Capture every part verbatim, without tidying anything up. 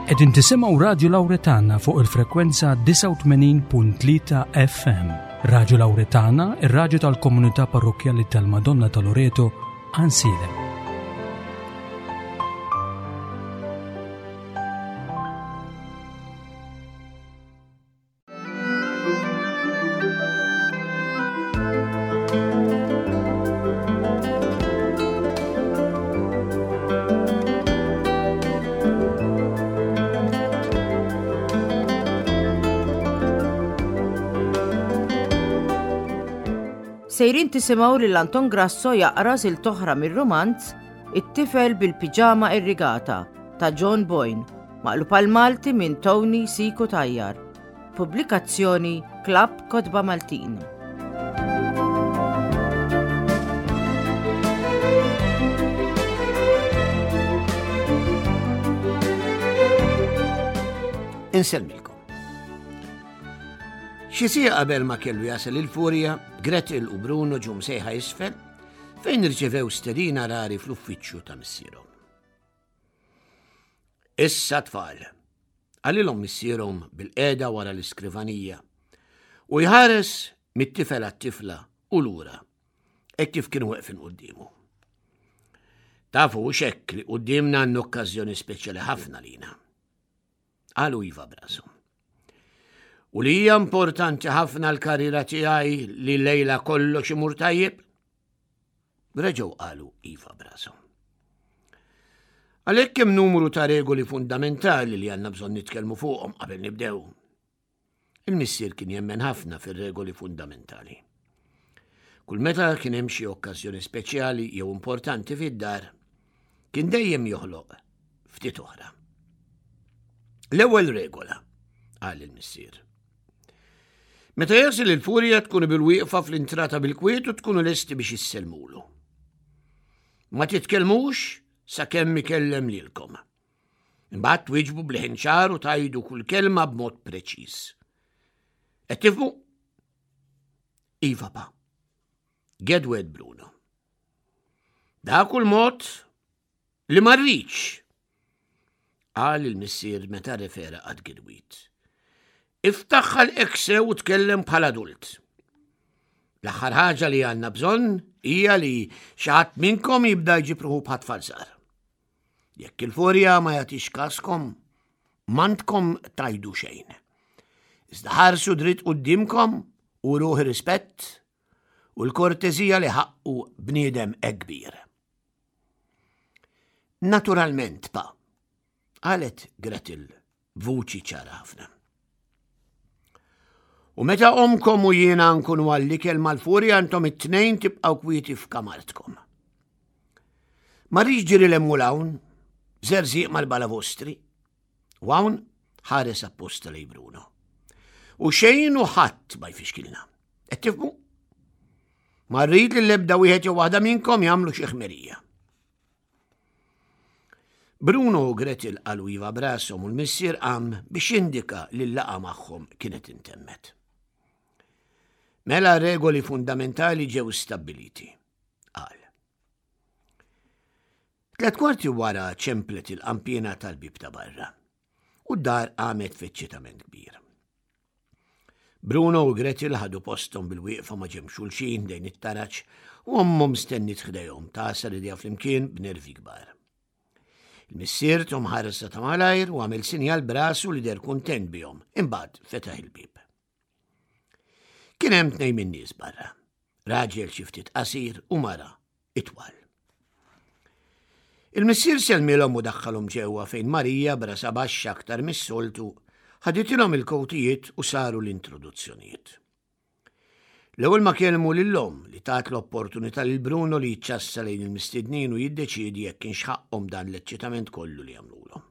Qegħdin tisimgħu Radju Lawretana fuq il-frekwenza disgħa u tmenin punt tlieta F M. Radju Lawretana, ir-radju tal-Komunità Parrokkjali tal-Madonna ta' Loreto, Għajnsielem. Sejrin tisimgħu lil Anton Grasso jaqra silta oħra mir-romanz It-tifel bil-piġama irrigata ta' John Boyne, maqlub għal Malti minn Tony C. Cutajar. Pubblikazzjoni Klabb Kotba Maltin. Insellmilkom. Xi siegħa qabel ma kellu jasal il-Furja, Gretel u Bruno ġew msejħa isfel fejn irċevew stedina rari fl-uffiċċju ta' missierhom. "Issa tfal," qalilhom missierhom bilqiegħda wara l-iskrivanija u jħares mit-tifel għat-tifla u lura, hekk kif kienu weqfin quddiemu. "Tafu xek li quddiemna għandna okkażjoni speċjali ħafna lina?" Qalu iva b'rashom. "U li hija importanti ħafna l-karriera tiegħi li lejla kollox imur tajjeb?" Reġgħu qalu iva b'rashom. "Għalhekk hemm numru ta' regoli fundamentali li għandna bżonn nitkellmu fuqhom qabel nibdew." Il-missier kien jemmen ħafna fir-regoli fundamentali. Kull meta kien hemm xi okkażjoni speċjali jew importanti fid-dar, kien dejjem joħloq ftit oħra. "L-ewwel regola," qal il-missier. "Meta jasal il-Furja tkunu bil-wieqfa fl-intrata bil-kwiet u tkunu lesti biex issellmulu. Ma titkellmux sakemm ikellem lilkom. Imbagħad twieġbu b'leħen ċar u tgħidu kull kelma b'mod preċiż. Qed tifhmu?" "Iva, pa," gedwed Bruno. "Dak kull mod li ma rridx," qal il-missier meta refera għat-tgedwid. "Iftaħ ħalqek sew u tkellem bħal adult. L-aħħar ħaġa li għandna bżonn hija li xi ħadd minnkom jibda jġib ruħu bħat tfal. Jekk il-Furja ma jagħtix kaskom, m'għandkom tgħidu xejn. Iżda ħarsu dritt quddiemkom u uruh rispett u l-kortezija li ħaqqu bniedem kbir." "Naturalment, pa," qalet Gretel vuċi ċara ħafna. "U meta omkom u jiena nkunu għall-ikel mal-Furja, intom it-tnejn tibqaw kwieti f'kamartkom. Ma rridx ġiri 'l hemm u 'l hawn, żerżiq mal-balavostri." U hawn ħares apposta lejn Bruno. "U xejn u ħadd ma jfixkilna. Qed tifhmu? Ma rrid li l-ebda wieħed jew waħda minnkom jagħmlu xi ħmerija." Bruno u Gretel qalu iva b'rashom u l-missier qam biex indika li l-laqgħa magħhom kienet intemmet. "Mela regoli fundamentali ġew stabbiliti," qal. Tlet kwarti wara ċemplet il-qampina tal-bib ta' barra u d-dar qamet f'eċċitament kbir. Bruno u Gretel ħadu postom bil-wieqfa ma' ġenb xulxin ħdejn it-taraċ u ommhom stenniet ħdejhom tagħsar idejha flimkien b'nervi kbar. Il-missier tahom ħarsa ta' malajr u għamel sinjal b'rasu li deher kuntent bihom, imbagħad fetaħ il-bib. Kien hemm tnejn min-nies barra, raġel xi ftit qasir u mara itwal. Il-missier sellmilhom u daħħalhom ġewwa fejn Marija, b'rasha baxxa aktar mis-soltu, ħaditilhom il-kowtijiet u saru l-introduzzjonijiet. L-ewwel ma kellmu lil-omm, li tat l-opportunità lil Bruno li jiċċassa lejn il-mistednin u jiddeċiedi jekk kienx ħaqqhom dan l-eċċitament kollu li għamlulhom.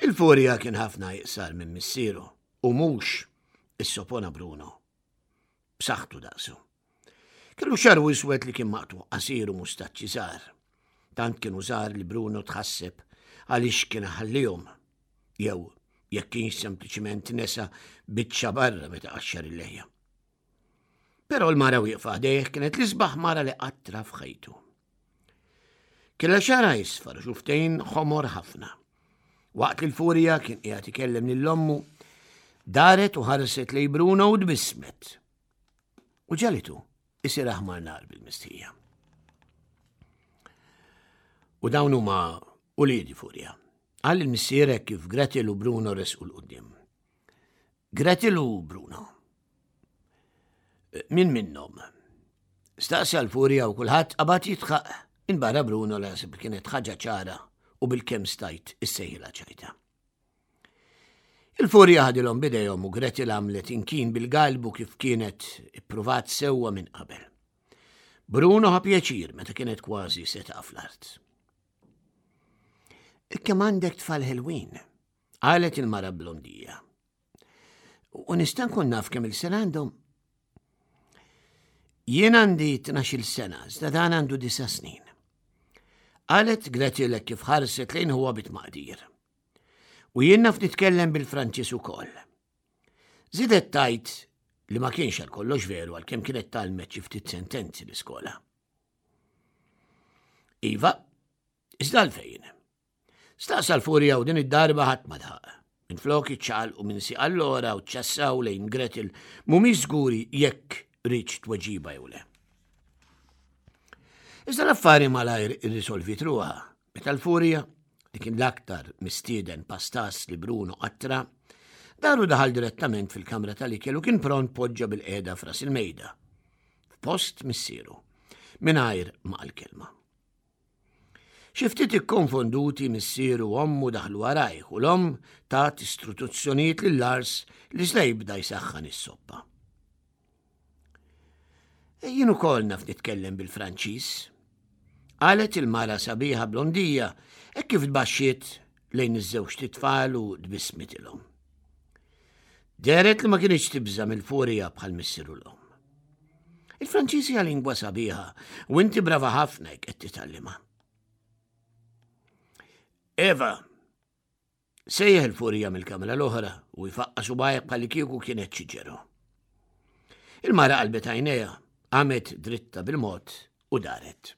Il-Furja kien ħafna iqsar minn missieru u mhux, issopona Bruno, b'saħħtu daqsu. Kellu xagħru iswed li kien maqtugħ qasir u mustaċċi żgħar. Tant kienu żgħar li Bruno tħasseb għaliex kien ħallihom jew jekk kienx sempliċiment nesa biċċa barra meta qaxxar il-leħja. Però l-mara wieqfa ħdejh kienet l-isbaħ mara li qatt ra f'ħajtu. Kellha xagħarha isfar u xufftejn ħomor ħafna. Waqt li l-Furja kien qiegħed ikellem lil ommu, daret u ħarset lejn Bruno u tbissmet. U ġagħlitu isir aħmar nar bil-mistħija. U dawn huma uliedi Furja. Qal il-missier kif Gretel u Bruno resqu 'l quddiem. Gretel u Bruno. Min minnhom? Staqsa l-Furja u kulħadd qabad jidħaq minbarra Bruno li ħaseb kienet ħaġa ċara u bil-kemm stajt issejħilha ċajta. Il-Furja ħadilhom b'idejhom u Gretel għamlet inkin bil-galbu kif kienet ippruvat sewwa minn qabel. Bruno ħa pjaċir meta kienet kważi se taqa' fl-art. Kemm għandek tfal ħelwin, qalet il-mara blondija. U nista' nkun naf kemm il-sena għandhom. Jien għandi tnax-il sena, iżda dan għandu disa' snin. Qalet Gretel kif ħarset lejn ħuha bit-tmaqdir. U jien naf nitkellem bil-Franċiż ukoll. Żiedet tgħid li ma kienx għal kollox veru għalkemm kienet tgħallmet xi ftit sentenzi l-iskola. Iva, iżda għalfejn. Staqsa l-Furja u din id-darba ħadd ma daħaq. Minflok iċċaqalqu minn sieq għall-oħra u ċassaw lejn Gretel mhumiex żguri jekk riedx tweġiba jew le. Iżda l-affari malajr irrisolviet ruħha. Meta l-Furja, li kien l-aktar mistieden pastas li Bruno qatt ra, dar u daħal direttament fil-kamra tal-ikel u kien pront poġġa bilqiegħda f'ras il-mejda. F'post missieru, mingħajr ma qal kelma. Xi ftit ikkonfonduti missieru u ommu daħlu warajh u l-omm tat istruzzjonijiet lil Lars li se jibda jsaħħan is-soppa. Jien ukoll naf nitkellem bil-Franċiż. Qalet il-mara sabiħa blondija hekk kif tbaxxiet lejn iż-żewġt itfal u tbissmitilhom. Dehret li ma kinitx tibża mill-Furja bħal missieru l-omm. Il-Franċiż hija lingwa sabiħa u inti brava ħafna jekk qed titgħallimha. Eva, sejjaħ il-Furja mill-kamra l-oħra u jfaqqa' subgħajh bħal kieku kienet ċiġeru. Il-mara qalbet għajnejha, qamet dritta bil-mod u daret.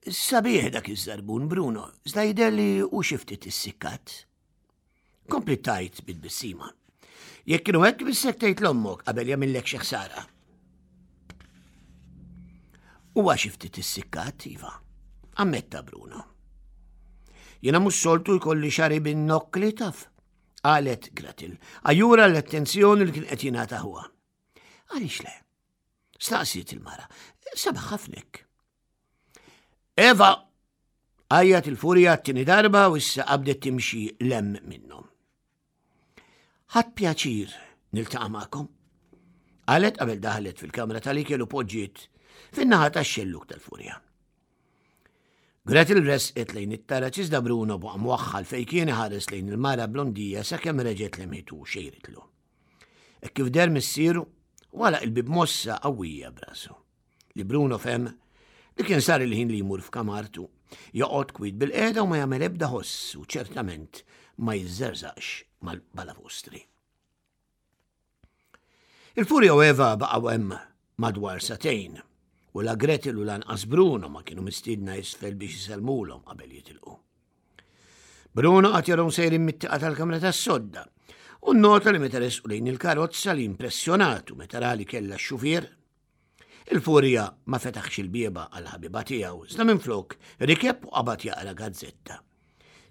Sabiħ dak iż-żarbun Bruno, iżda jidher li hu xi ftit issikkat. Kompliet tgħid bit-tbissima. Jekk kienu hekk bissek tgħid 'l ommok qabel jagħmillek xi ħsara. Huwa xi ftit issikkat, iva. Ammetta Bruno. Jiena mhux soltu jkolli xagħri bin-nokkli taf, qalet Gretel, għajjura l-attenzjoni li kien qed jingħata ħuha. Għaliex le? Staqsiet il-mara. Sabaħ ħafnek. Eva! Għajjat il-Furja t-tieni darba u issa qabdet timxi 'l hemm minnhom. Ħadt pjaċir niltaqa' magħkom. Qalet qabel daħlet fil-kamra tal-ikel u poġġiet fin-naħa tax-xelluk tal-Furja. Gretel resqet lejn it-taraġ iżda Bruno baqa' mwaħħal fejn kien iħares lejn il-mara blondija sakemm reġgħet lemħitu u xejritlu. Hekk kif deher missieru, għalaq il-bieb mossa qawwija b'rasu. Li Bruno fehem li kien sar il-ħin li jmur f'kamartu, joqgħod kwiet bilqiegħda u ma jagħmel ebda ħoss u ċertament ma jiżżerżaqx mal-balavostri. Il-Furja u Eva baqgħu hemm madwar sagħtejn u la Gretel u lanqas Bruno ma kienu mistiedna isfel biex isellmulhom qabel jitilqu. Bruno qagħad jarahom sejrin mit-tieqa tal-kamra tas-sodda u nnota li meta resqu lejn il-karozza li impressjonatu meta ra li kellha x-xufier. Il-Furja ma fetaħx il-bieba għal-ħabiba tiegħu, iżda minflok rikeb u qabad jaqra gazzetta.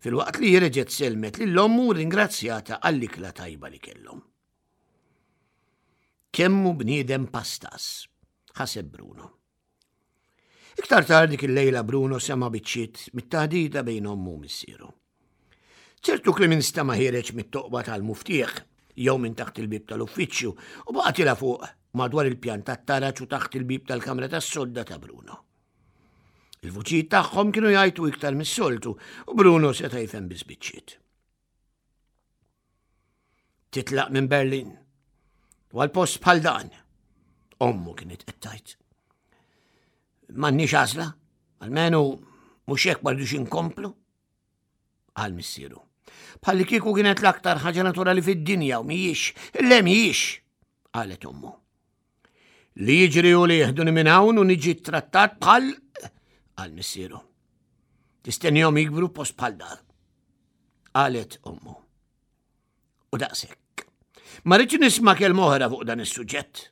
Filwaqt li reġgħet sellmet lil ommu u ringrazzjata għall-ikla tajba li kellhom. Kemm hu bniedem pastas, ħaseb Bruno. Iktar tard dik il-lejla Bruno sema' biċċiet mit-taħdita bejn ommu u missieru. Ċertu kliem instema' ħiereġ mit-toqba tal-muftieħ jew minn taħt il-bieb tal-uffiċċju u baqa' tiela' fuq madwar il-pjan tat-taraġ u taħt il-bieb tal-kamra tas-sodda ta' Bruno. Il-vuċijiet tagħhom kienu jgħajtu iktar mis-soltu u Bruno seta' jifhem biss biċċiet. Titlaq minn Berlin u għal post bħal dan, ommu kienet qed tgħid. M'għandniex għażla, almenu mhux hekk ma rridux inkomplu, qal missieru. Bħalli kieku kienet l-aktar ħaġa naturali fid-dinja u mhijiex, le mhijiex, qalet ommu. Li jiġri u li jeħduni minn hawn u niġi trattat bħal, qal missieru. Tistennihom jikbru post bħal dan. Qalet ommu. U daqshekk. Ma rridx nisma' kelma oħra fuq dan is-suġġett.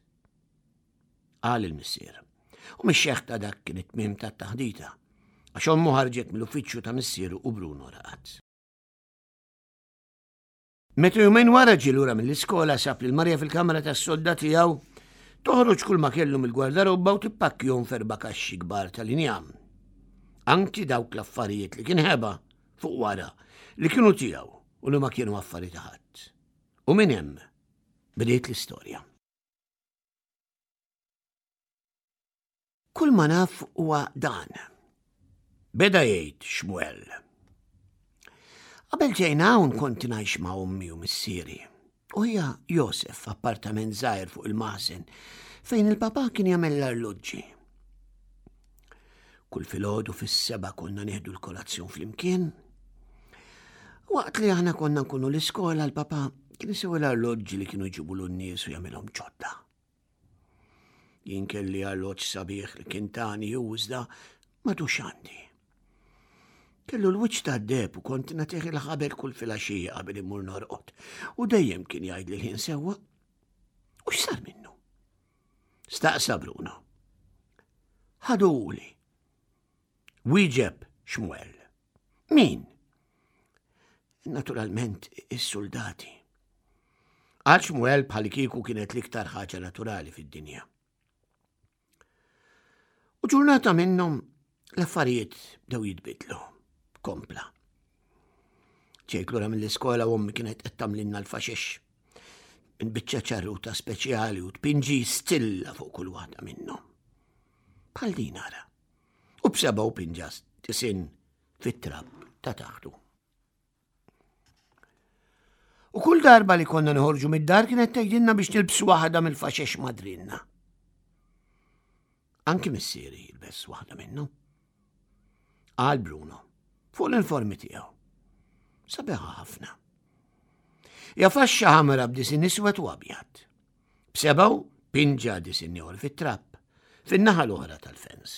Qal il-missier. U mix-xeħta dak kien it-tmiem tat-taħdita. Għax ommu ħarġet mill-uffiċċju ta' missieru u Bruno raqad. Meta jumejn wara ġie lura mill-iskola sab lil Marja fil-kamra tas-sodda tiegħu toħroġ kull ma kellu mill-gwardarobba u tippakkjahom f'erba' kaxxi kbar tal-injam. Anki dawk l-affarijiet li kien ħeba fuq wara li kienu tiegħu u li ma kienu affari ta' ħadd. U minn hemm bdiet l-istorja. Kull ma naf huwa dan. Beda jgħid Xmuel. Qabel ġejna hawn kont ngħix ma' ommi u missieri. U hija Josef f'appartament żgħir fuq il-maħżen fejn il-papà kien jagħmel l-arloġġi. Kull filgħodu fis-seba' konna nieħdu l-kolazzjon flimkien. Waqt li aħna konna nkunu l-iskola l-papà kien isewi l-arloġġi li kienu jġibu n-nies u jagħmilhom ġodda. Jien kelli arloġġ sabiħ li kien tani u iżda m'għadux għandi. Kellu l-wiċċ tad-deheb u kont nagħtih il-ħabel kull filgħaxija qabel immur norqod u dejjem kien jgħidli l-ħin sewwa. U x'sar minnu? Staqsa Bruno. Ħaduli. Wieġeb Xmuel. Min? Naturalment is-soldati. Qal Xmuel bħal kieku kienet l-iktar ħaġa naturali fid-dinja. U ġurnata minnhom l-affarijiet bdew jitbidlu. Kompla. Ġejt lura mill-iskola u ommi kienet qed tagħmlilna l-faxex. Minn biċċa ċarruta speċjali u tpinġi stilla fuq kull waħda minnhom. Bħal din ara. U b'seba' u pinġa tisin fit-trab ta' taħtu. U kull darba li konna nħorġu mid-dar kienet tgħidilna biex nilbsu waħda mill-faxex madrinna. Anki missieri jilbes waħda minnhom. Qal Bruno fuq l-informi tiegħu. Sabiħa ħafna. Ja faxxa ħamra b'disin iswed u abjad. B'sebgħu pinġa disin ieħor fit-trapp, fin-naħa l-oħra tal-fens.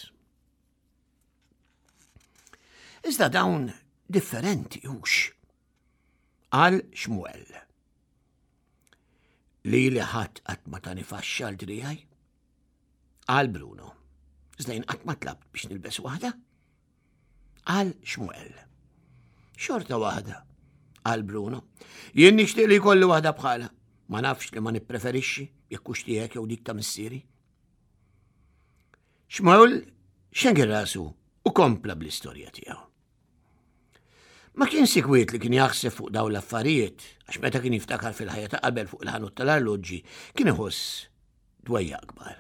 Iżda dawn differenti hux. Qal Xmuel. Li li ħadd qatt ma tani faxxa għal drijaj? Qal Bruno. Iżda jien qatt ma tlabt biex nilbes waħda? Qal Xmuel. Xorta waħda, qal Bruno. Jien nixtieq li jkolli waħda bħala. Ma nafx li ma nippreferixxi jekk hux tiegħek jew dik ta' missieri. Xmuel xengel rasu u kompla bl-istorja tiegħu. Ma kien sikwiet li kien jaħseb fuq dawn l-affarijiet, għax meta kien jiftakar fil-ħajja ta' qabel fuq il-ħanut tal-arloġġi kien iħoss dwejja akbar.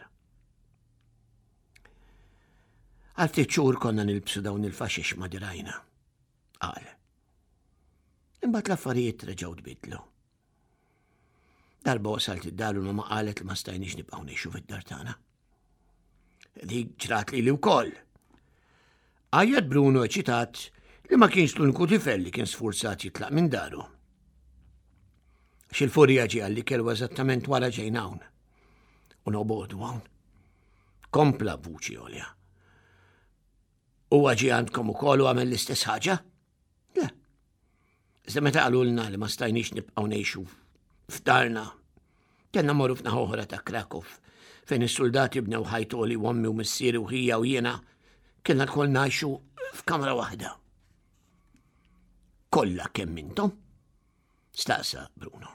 Għal ftit xhur konna nilbsu dawn il-faxix ma' dirajna, qal. Imbagħad l-affarijiet reġgħu tbidlu. Darba wasalt id-dar u ma qalet li ma stajniex nibqgħu ngħixu fid-dar tagħna. Dik ġrat lili wkoll. Għajjat Bruno eċitat li ma kienx l-uniku tifel li kien sfurzat jitlaq minn daru. Xil-furja ġie għalli kellu eżattament wara ġejna hawn. U nobodu hawn. Kompla b'vuċi għolja. Huwa ġie għandkom ukoll u għamel l-istess ħaġa? Le. Iżda meta qalulna li ma stajniex nibqgħu ngħixu f'darna, kellna morru f'naħa oħra ta' Krakow, fejn is-soldati bnew ħajtoli u ommi u missieri u ħija u jiena kellna lkoll ngħixu f'kamra waħda. Kollha kemm intom? Staqsa Bruno.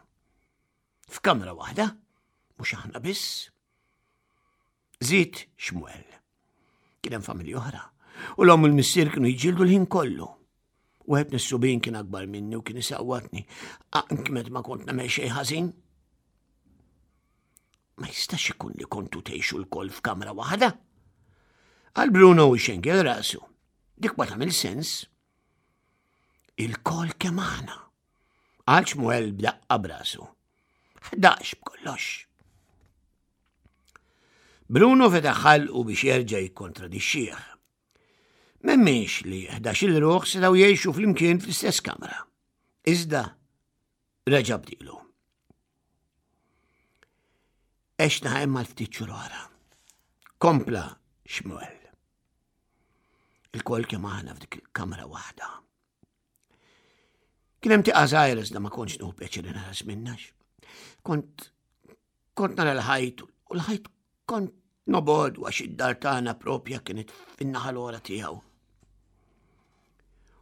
F'kamra waħda? Mhux aħna biss? Żied Xmuel. Kien hemm familji oħra. U l-omm u l-missier kienu jiġġieldu l-ħin kollu. Wieħed mis-subien kien akbar minni u kien isawwatni. Anki meta ma kont nagħmel xejn ħażin. Ma jistax ikun li kontu tgħixu lkoll f'kamra waħda. Qal Bruno u xengel rasu. Dik ma tagħmel sens. Il-kol kemm aħna. Qal Xmuel b'daqqa b'rasu. Ħdax b'kollox. Bruno fetaħ ħalqu biex jerġa' jikkontradixxih. M'hemmx li ħdax-il ruħ setgħu jgħixu flimkien fl-istess kamra. Iżda reġa' bdilu. Għexna hemm għal ftit xhur oħra. Kompla Xmuel. Ilkoll kemm aħna f'dik il-kamra waħda. Kien hemm tieqa żgħira iżda ma kontx nieħu pjaċir inħares minnha. Kont kont nara l-ħajt u l-ħajt kont nobgħodu għax id-dar tagħna propja kienet fin-naħa l-oħra tiegħu.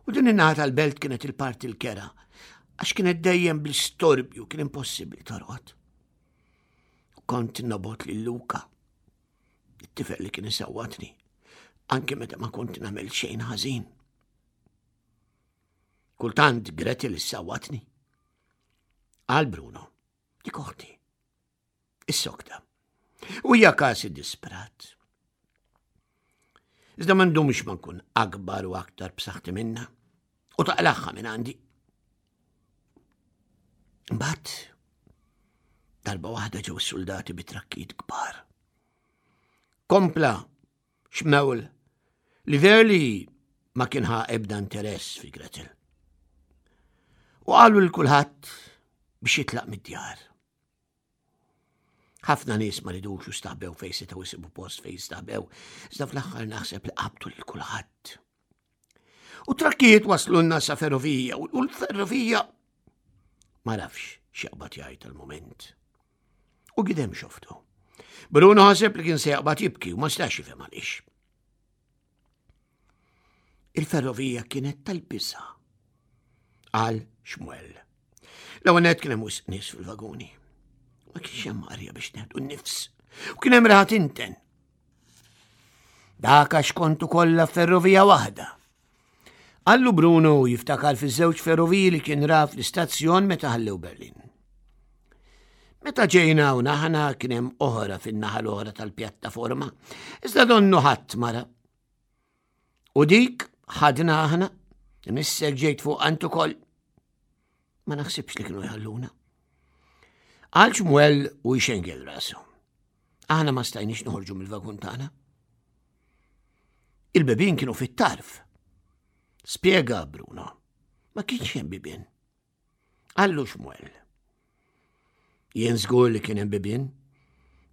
U din in-naħa tal-belt kienet il-parti l-kerha, għax kienet dejjem bl-istorbju, kien impossibbli torqod. U kont nobgħod lil Luka, it-tifel li kien isawwatni, anke meta ma kont nagħmel xejn ħażin. Kultant Gretel issawwatni. Qal Bruno, dik oħti. Issokta. U hija każ iddisprat. Iżda ma ndumx ma nkun akbar u aktar b'saħħti minna u taqlagħha minn għandi. Mbagħad darba waħda ġew soldati bi trakkijiet kbar. Kompla Xmuel li verli ma kien ħa ebda interess fi Gretel. U qalu lil kulħadd biex jitlaq mid-djar. Ħafna nies ma ridux u staħbew fejn setgħu jsibu post fejn jistaħbew, iżda fl-aħħar naħseb li qabdu lil kulħadd. U trakkijiet waslunna sa ferrovija u l-ferrovija ma nafx x'jaqbad jgħid tal-moment. U gidem xoftu. Bruno ħaseb li kien se jaqbad jibki u ma stax jifhem għaliex. Il-ferrovija kienet tal-biża'. Qal Xmuel. L-ewwel nett kien hemm wisq nies fil-vaguni. Ma kienx hemm arja biex neħdu n-nifs. U kien hemm riħa tinten. Dak għax kontu kollha ferrovija waħda. Qallu Bruno jiftakar fiż-żewġ ferroviji li kien ra fl-istazzjon meta ħallew Berlin. Meta ġejna u naħna kien hemm oħra fin-naħa l-oħra tal-pjattaforma, iżda donnu ħadd mara. U dik ħadna aħna, missek ġejt fuq int ukoll. Ma naħsibx li kienu jħalluna. Qal Xmuel u jxengel rasu. Aħna ma stajniex noħorġu mill-vagun tagħna. Il-bibien kienu fit-tarf. Spjega Bruno. Ma kienx hemm bibien. Qallu Xmuel. Jien żgur li kien hemm bibien.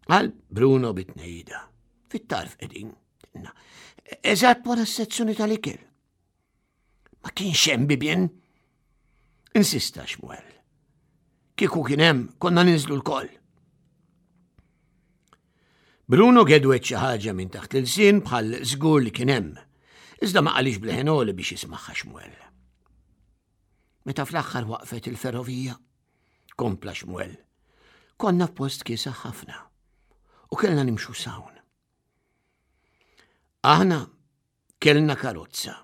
Qal Bruno bit-tnehida. Fit-tarf qegħdin. Eżatt wara s-sezzjoni tal-ikel. Ma kienx hemm bibien. Insista Xmuel. Kieku kien hemm, konna ninżlu lkoll. Bruno gedwet xi ħaġa minn taħt l-ilsien bħal żgur li kien hemm. Iżda ma qalhiex b'leħen għoli biex jismagħha Xmuel. Meta fl-aħħar waqfet il-ferrovija, kompla Xmuel, konna f'post kiesaħ ħafna u kellna nimxu s'hawn. Aħna kellna karozza,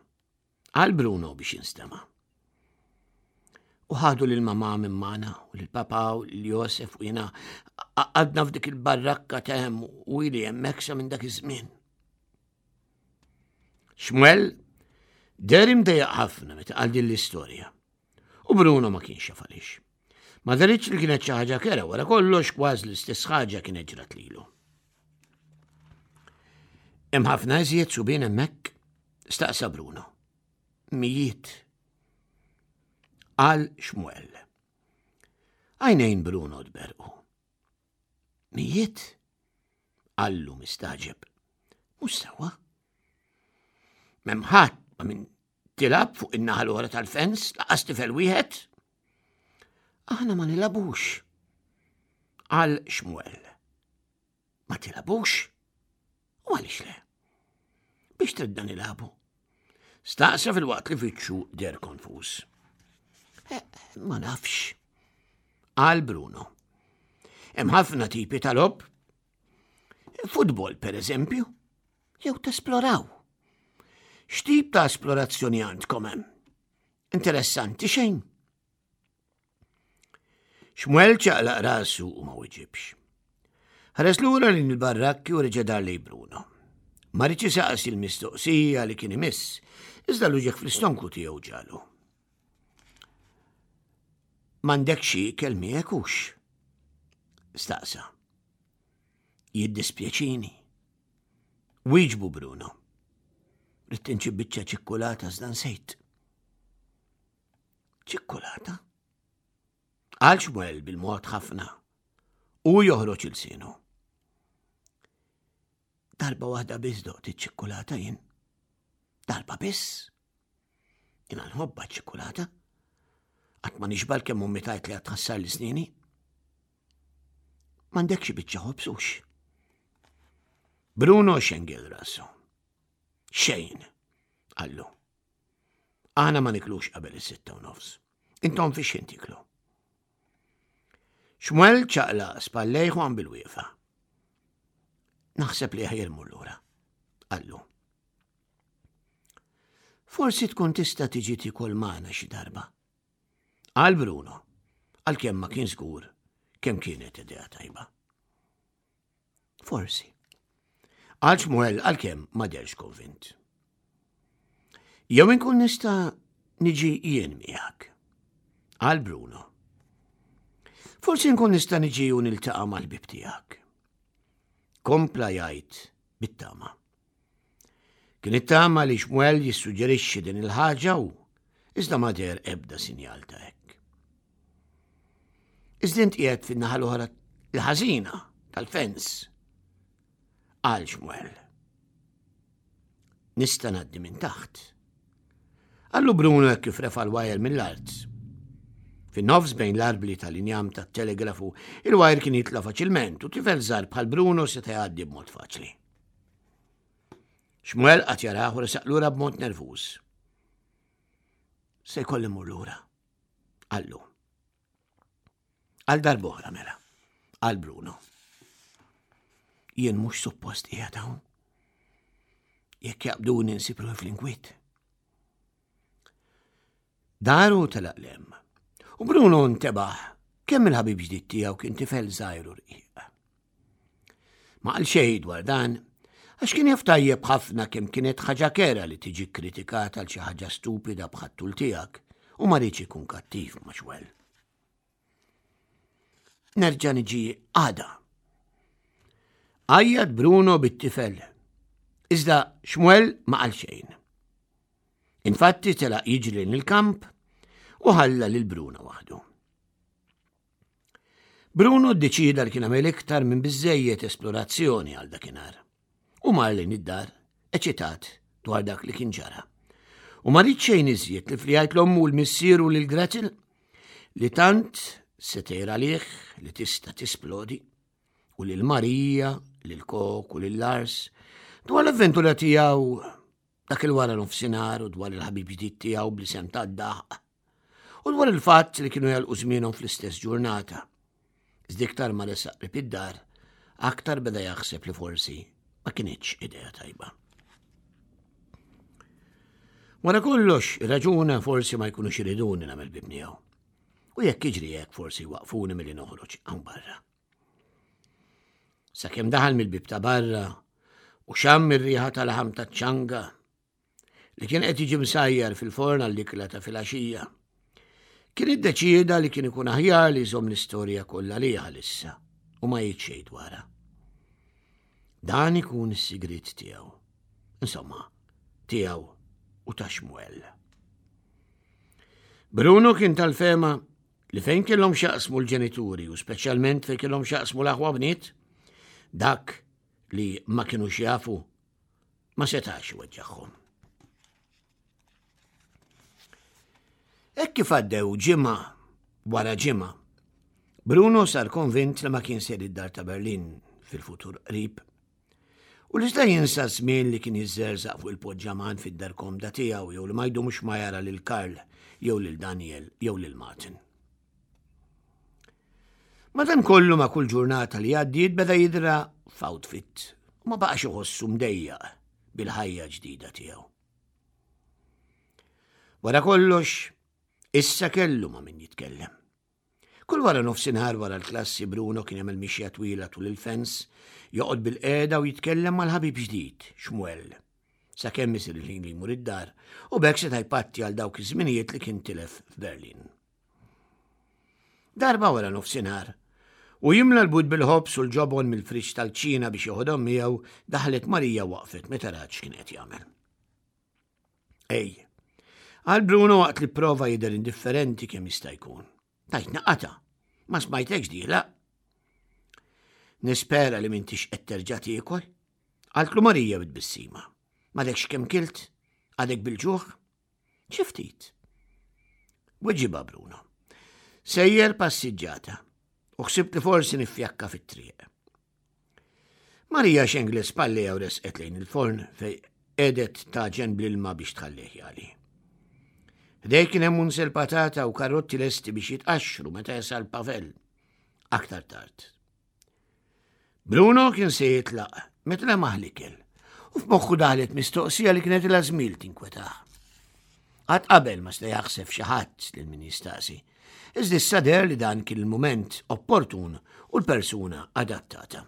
qal Bruno biex jinstema'. U ħadu lil mamà minn magħna u lil papà u lil Josef u jiena għadna f'dik il-barrakka t'hemm u ili hemmhekk sa minn dak iż-żmien. Xmuel deher imdejjaq ħafna meta qal din l-istorja. U Bruno ma kienx jaf għaliex. Ma deritx li kienet xi ħaġa kerha, wara kollox kważi l-istess ħaġa kienet ġrat lilu. Hemm ħafna iżjed subien hemmhekk, staqsa Bruno. Mijiet. Qal Xmuel. Għajnejn Bruno tberqu. Mijiet? Qallu mistagħġeb. Mhux sewwa. M'hemm ħadd ma min tilgħab fuq in-naħa l-oħra tal-fens, lanqas tifel wieħed. Aħna ma nilagħbux. Qal Xmuel. Ma tilagħbux? U għaliex le? Biex tridna nilagħbu? Staqsa filwaqt li wiċċu deher konfuż. Eh, ma nafx. Qal Bruno. Hemm ħafna tipi ta' logħob. Futbol, per eżempju, jew tesploraw. X'tip ta' esplorazzjoni għandkom hemm? Interessanti xejn. Xmuel ċaqlaq rasu u ma weġibx. Ħares lura lejn il-barrakki u reġa' dar lejn Bruno. Ma riedx isaqsi l-mistoqsija li kien imiss, iżda l-uġigħ fl-istonku tiegħu ġagħlu. M'għandek xi ikel miegħek hux? Staqsa. Jiddispjaċini. Wieġbu Bruno. Ridt inġib biċċa ċikkulata iżda nsejt. Ċikkulata? Qal Xmuel bil-mod ħafna. U joħroġ ilsienu. Darba waħda biss doqt iċ-ċikkulata jien. Darba biss. Jiena nħobbha ċ-ċikkulata. Qatt ma nixba' kemm ommi tgħid li għad tħassarli snieni. M'għandekx xi biċċa ħobż hux. Bruno xengel rasu. Xejn, qallu. Aħna ma niklux qabel is-sitta u nofs. Intom fi x'ħin tiklu. Xmuel ċaqlaq spallejh u qam bil-wieqfa. Naħseb li aħjar mmur lura, qallu. Forsi tkun tista' tiġi tikol magħna xi darba. Qal Bruno, għalkemm ma kien żgur kemm kienet idea tajba. Forsi. Qal Xmuel għalkemm ma deherx konvint. Jew inkun nista' niġi jien miegħek. Qal Bruno. Forsi nkun nista' niġi u niltaqa' mal-ħbieb tiegħek. Kompla jgħid bit-tama. Kien ittama li Xmuel jissuġġerixxi din il-ħaġa u iżda ma deher ebda sinjal ta' hekk. Iżda int qiegħed fin-naħa l-oħra l-ħażina tal-fens. Qal Xmuel. Nista' ngħaddi minn taħt. Qallu Bruno hekk kif refa' l-wajer mill-art. Fin-nofs bejn l-arbli tal-injam tat-telegrafu, il-wajer kien jitla' faċilment u tifel żgħar bħal Bruno seta' jgħaddi b'mod faċli. Xmuel qagħad jarah u resaq lura b'mod nervuż. Se jkolli mmur lura. Qallu. Għal darb'oħra mela. Qal Bruno. Jien mhux suppost qiegħed hawn. Jekk jaqbduni nsib ruħi fl-inkwiet. Dar u telaq 'l hemm. U Bruno ntebaħ kemm il-ħabib ġdid tiegħu kien tifel żgħir u rqiq. Ma qal xejn dwar dan, għax kien jaf tajjeb ħafna kemm kienet ħaġa kerha li tiġi kritikata għal xi ħaġa stupida bħat-tul tiegħek u ma riedx ikun kattiv ma' Xmuel. Nerġa' niġi għada. Għajjat Bruno bit-tifel. Iżda Xmuel ma qal xejn. Infatti telaq jiġri il-kamp u ħalla lil Bruno waħdu. Bruno ddeċida li kien għamel iktar minn biżejjed esplorazzjoni għal dakinhar. U mar lejn id-dar, eċitat dwar dak li kien ġara. U ma ried xejn iżjed ħlief li jgħid 'l ommu 'l missieru lil Gretel li tant se tgħir għalih li tista' tisplodi u lil Marija, lil Kok u lil Lars dwar l-avventura tiegħu dak il-wara nofsinhar u dwar il-ħabib ġdid tiegħu bl-isem tad-daħq u dwar il-fatt li kienu jagħlqu żmienhom fl-istess ġurnata. Iżda iktar ma resaq qrib id-dar, aktar beda jaħseb li forsi ma kinitx idea tajba. Wara kollox, raġuna forsi ma jkunux iriduni nagħmel ħbieb miegħu. U jekk jiġri hekk forsi waqfuni milli noħroġ hawn barra. Sakemm daħal mill-bib ta' barra u xamm ir-riħa tal-laħam taċ-ċanga li kien qed jiġi msajjar fil-forn għall-ikla ta' filgħaxija. Kien iddeċieda li kien ikun aħjar li jżomm l-istorja kollha għalih għalissa u ma jgħid xejn dwarha. Dan ikun is-sigriet tiegħu. Insomma, tiegħu u ta' Xmuel. Bruno kien tal-fehma li fejn kellhom x'jaqsmu l-ġenituri u speċjalment fejn kellhom x'jaqsmu l-aħwa bniet, dak li ma kienux jafu ma setax iweġġagħhom. Hekk kif għaddew ġimgħa wara ġimgħa, Bruno sar konvint li ma kien ser id-dar ta' Berlin fil-futur qrib. U li sta jinsa żmien li kien jiżżerżaq fuq il-poġġaman fid-dar komda tiegħu jew li ma jdumx ma jara lil Karl jew lil Daniel jew lil Martin. Madankollu ma' kull ġurnata li għaddiet beda jidra f'outfit u ma baqax iħossu mdejjaq bil-ħajja ġdida tiegħu. Wara kollox, issa kellu ma' min jitkellem. Kull wara nofsinhar wara l-klassi Bruno kien jagħmel mixja twila tul il-fens, joqgħod bil-qiegħda u jitkellem mal-ħabib ġdid, Xmuel. Sakemm isir il-ħin li jmur id-dar u b'hekk seta' jpatti għal dawk iż-żminijiet li kien tilef f'Berlin. Darba wara nofsinhar, u jimla l-but bil-ħobż u l-ġobon mill-friġġ tal-kċina biex joħodhom miegħu, daħlet Marija waqfet meta rat x'kien qed jagħmel. Ej, qal Bruno waqt li prova jidher indifferenti kemm jista' jkun. Tajtna qata, ma smajtekx dieħla. Nispera li m'intix qed terġa' tiekol, qaltlu Marija bit-tbissima. M'għadekx kemm kilt, Għadek bil-ġuħ? Xi ftit. Weġibha Bruno. Sejjer passiġġata u ħsibt li forsi niffjakka fit-triq. Marija xenglet spallejha u resqet lejn il-forn fej qegħdet tagħġen bl-ilma biex tħallih jagħli. Ħdejh kien hemm unsel patata u karotti lesti biex jitqaxxru meta jasal Pavel aktar tard. Bruno kien se jitlaq meta lemaħ l-ikel u f'moħħu daħlet mistoqsija li kienet ilha żmien tinkwetah. Qatt qabel ma sta jaħseb xi ħadd lil min jistaqsi. Iżda issa deher li dan kien il-mument opportun u l-persuna adattata.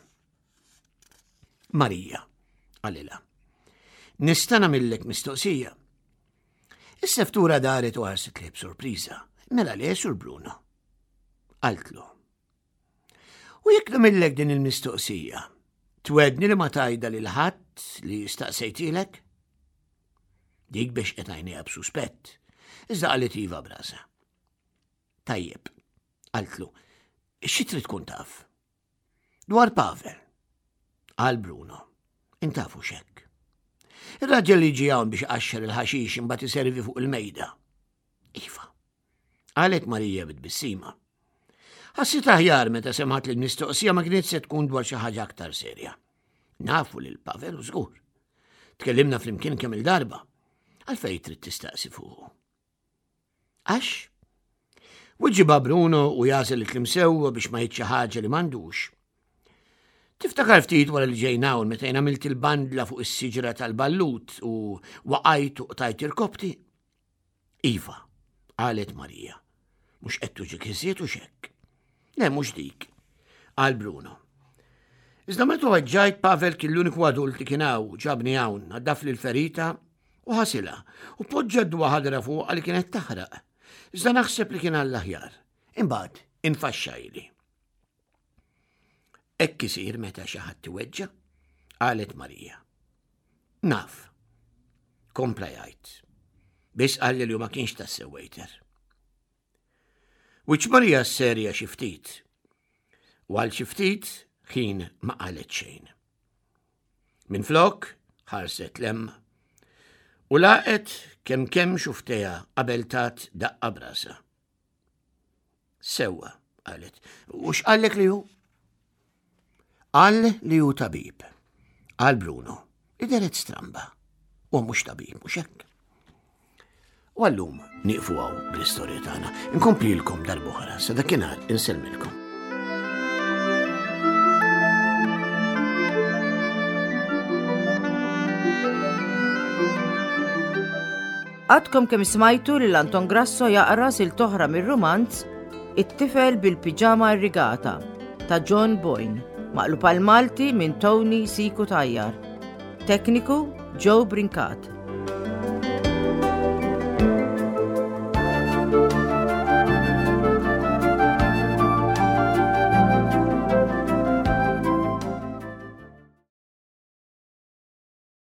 Marija, qalilha. Nista' nagħmillek mistoqsija. Is-seftura daret u ħarset lejh b'sorpriża. Mela le, Sur Bruno. Qaltlu. U jekk nagħmillek din il-mistoqsija, twegħedni li ma tgħidha lil ħadd li staqsejtilek? Dik bexqet għajnejha b'suspett, iżda qalet iva b'rasha. Tajjeb, qaltlu, xi trid tkun taf? Dwar Pavel, qal Bruno, int tafu xek. Ir-raġel li ġie hawn biex iqaxxar il-ħaxix imbagħad iservi fuq il-mejda. Iva, qalet Marija bit-tbissima. Ħassitha aħjar meta semgħet li l-mistoqsija ma kienet se tkun dwar xi ħaġa aktar serja. Nafu lil Pavel u żgur. Tkellimna flimkien kemm il-darba. Għalfejn trid tistaqsi fuqu. Għax? Weġibha Bruno u jagħżel il-kliem sewwa biex ma jgħidx xi ħaġa li m'għandux. Tiftakar ftit wara li ġejna hawn meta jien għamilt il-bandla fuq is-siġra tal-ballut u waqajt u qtajt irkoppti? Iva, qalet Marija. Mhux qed tuġgħek iżjed u xek. Le, mhux dik, qal Bruno. Iżda meta weġġajt Pavel kien l-uniku adult li kien hawn, ġabni hawn, naddafli l-ferita u ħasilha u poġġa d-dwa ħadra fuqha li kienet taħraq. Iżda naħseb li kien għall-aħjar. Imbagħad infaxxajli. Hekk isir meta xi ħadd iweġġa', qalet Marija. Naf, kompla jgħid. Biss qalli li ma kienx tassew waiter. Wiċċ Marija serja xi ftit. U għal xi ftit ħin ma qalet xejn. Minflok ħarset 'l hemm u laqet kemm kemm xufftejha qabel tat daqqa b'rasha. Sewwa, qalet. U x'qallek li hu? Qal li hu tabib. Qal Bruno, li dehret stramba. U mhux tabib, mhux hekk. U għallum nieqfu hawn bl-istorja tagħna. Inkomplilkom darb'oħra, sa dakinhar insellmilkom. Għadkom kemm smajtu lil Anton Grasso jaqra silta oħra mir-rumanz It-tifel bil-piġama irrigata ta' John Boyne, maqlub għal Malti minn Tony Siku Tajjar. Tekniku Joe Brincat.